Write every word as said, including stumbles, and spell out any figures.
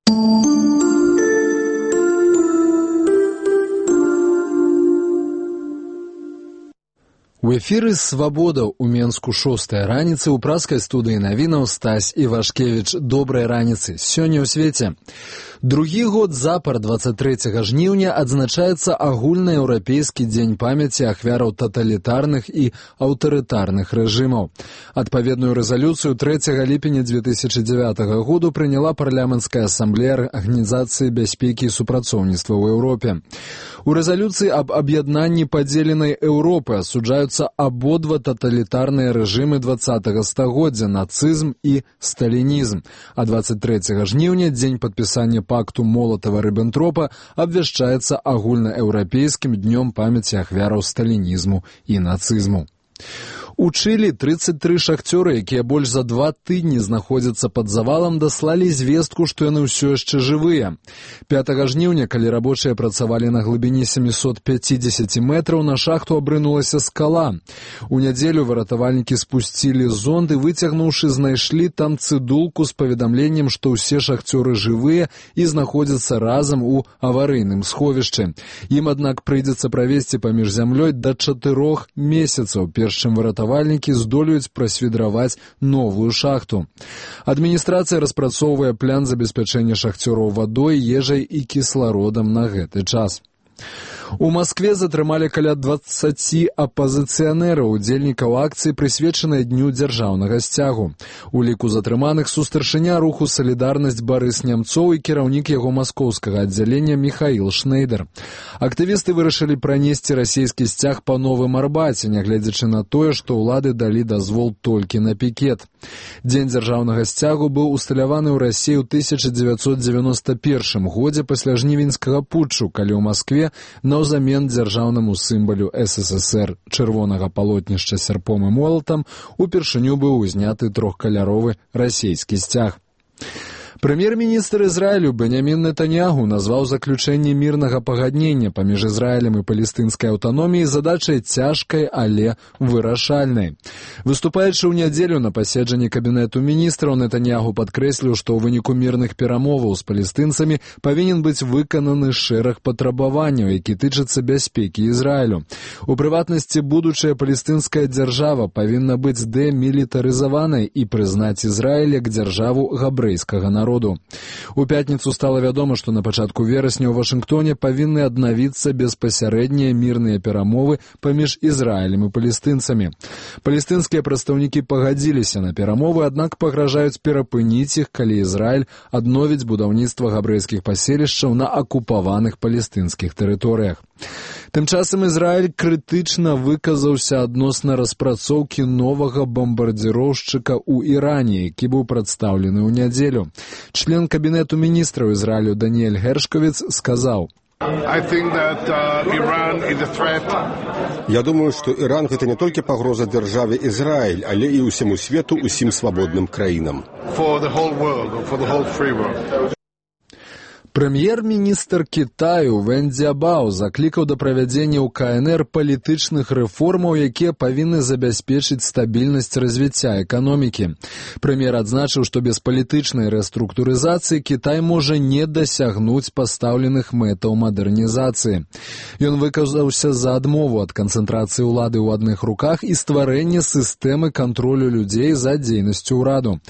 У эфіры «Свабода» у Менску шостая раніцы, у праскай студыі навінаў Стась Івашкевіч. Добрай раніцы. Сёння ў свеце. Другі год запар дваццаць трэцяга жніўня адзначаецца агульнаеўрапейскі дзень памяці ахвяраў таталітарных і аўтарытарных рэжымаў. Адпаведную рэзалюцыю трэцяга ліпеня дзве тысячы дзявятага году прыняла парламенцкая асамблея Арганізацыі бяспекі і супрацоўніцтва ў Еўропе. У рэзалюцыі аб аб'яднанні падзеленай Еўропы асуджаюцца абодва таталітарныя рэжымы дваццатага стагоддзя, нацызм і сталінізм. А дваццаць трэцяга жніўня, дзень падпісання пакту Молатава-Рыббентропа, абвяшчаецца агульнаеўрапейскім днём памяці ахвяраў сталінізму і нацызму. У Чылі трыццаць тры шахцёры, якія больш за два тыдні знаходзяцца пад завалам, даслалі звестку, што яны ўсё яшчэ жывыя. пятага жніўня, калі рабочыя працавалі на глыбіні сямісот пяцідзесяці метраў, на шахту абрынулася скала. У нядзелю выратавальнікі спусцілі зонд і, выцягнуўшы, знайшлі там цыдулку з паведамленнем, што ўсе шахцёры жывыя і знаходзяцца разам у аварыйным сховішчы. Ім, аднак, прыйдзецца правесці паміж зямлёй да чатырох месяцаў, перш чым выратавальнікі здолеюць прасвідраваць новую шахту. Адміністрацыя распрацоўвае план забеспячэння шахцёраў вадой, ежай і кіслародам на гэты час. У Маскве затрымалі каля дваццаці апазіцыянераў, удзельнікаў акцыі, прысвечанай дню дзяржаўнага сцягу. У ліку затрыманых сустаршыня руху «Салідарнасць» Барыс Нямцоў і кіраўнік яго маскоўскага аддзялення Міхаіл Шнейдер. Актывісты вырашылі пранесці расійскі сцяг па Новым Арбаце, нягледзячы на тое, што ўлады далі дазвол толькі на пікет. Дзень дзяржаўнага сцягу быў усталяваны ў Расіі ў тысяча дзевяцьсот дзевяноста першым годзе пасля жнівеньскага путчу, калі ў Маскве наўзамен дзяржаўнаму сімвалю эс эс эс эр чырвонага палотнішча сярпом і молатам упершыню быў узняты трохкаляровы расійскі сцяг. Прэм'ер-міністр Ізраілю Бенямін Нетаньягу назваў заключэнне мірнага пагаднення паміж Ізраілем і палестынскай аўтаноміяй задачай цяжкай, але вырашальнай. Выступаючы ў нядзелю на паседжанні кабінету міністраў, Нетаньягу падкрэсліў, што ў выніку мірных перамоваў з палестынцамі павінен быць выкананы шэраг патрабаванняў, які тычацца бяспекі Ізраілю. У прыватнасці, будучая палестынская дзяржава павінна быць дэмілітарызаванай і прызнаць Ізраіль як дзяржаву габрэйскага народа. У пятніцу стала вядома, што на пачатку верасня ў Вашынгтоне павінны аднавіцца беспасярэднія мірныя перамовы паміж Ізраілем і палестынцамі. Палестынскія прадстаўнікі пагадзіліся на перамовы, аднак пагражаюць перапыніць іх, калі Ізраіль адновіць будаўніцтва габрэйскіх паселішчаў на акупаваных палестынскіх тэрыторыях. Тым часам Ізраіль крытычна выказаўся адносна распрацоўкі новага бамбардзіроўшчыка ў Іране, які быў прадстаўлены ў нядзелю. Член кабінету міністраў Ізраілю Даніэль Гершковіц сказаў: Я думаю, што Іран гэта не толькі пагроза дзяржаве Ізраіль, але і ўсяму свету, усім свабодным краінам. Прэм'ер-міністр Кітаю Вэн Цзябао заклікаў да правядзення ў ка эн эр палітычных рэформаў, якія павінны забяспечыць стабільнасць развіцця эканомікі. Прэм'ер адзначыў, што без палітычнай рэструктурызацыі Кітай можа не дасягнуць пастаўленых мэтаў мадэрнізацыі. Ён выказаўся за адмову ад канцэнтрацыі ўлады ў адных руках і стварэння сістэмы кантролю людзей за дзейнасцю ўраду.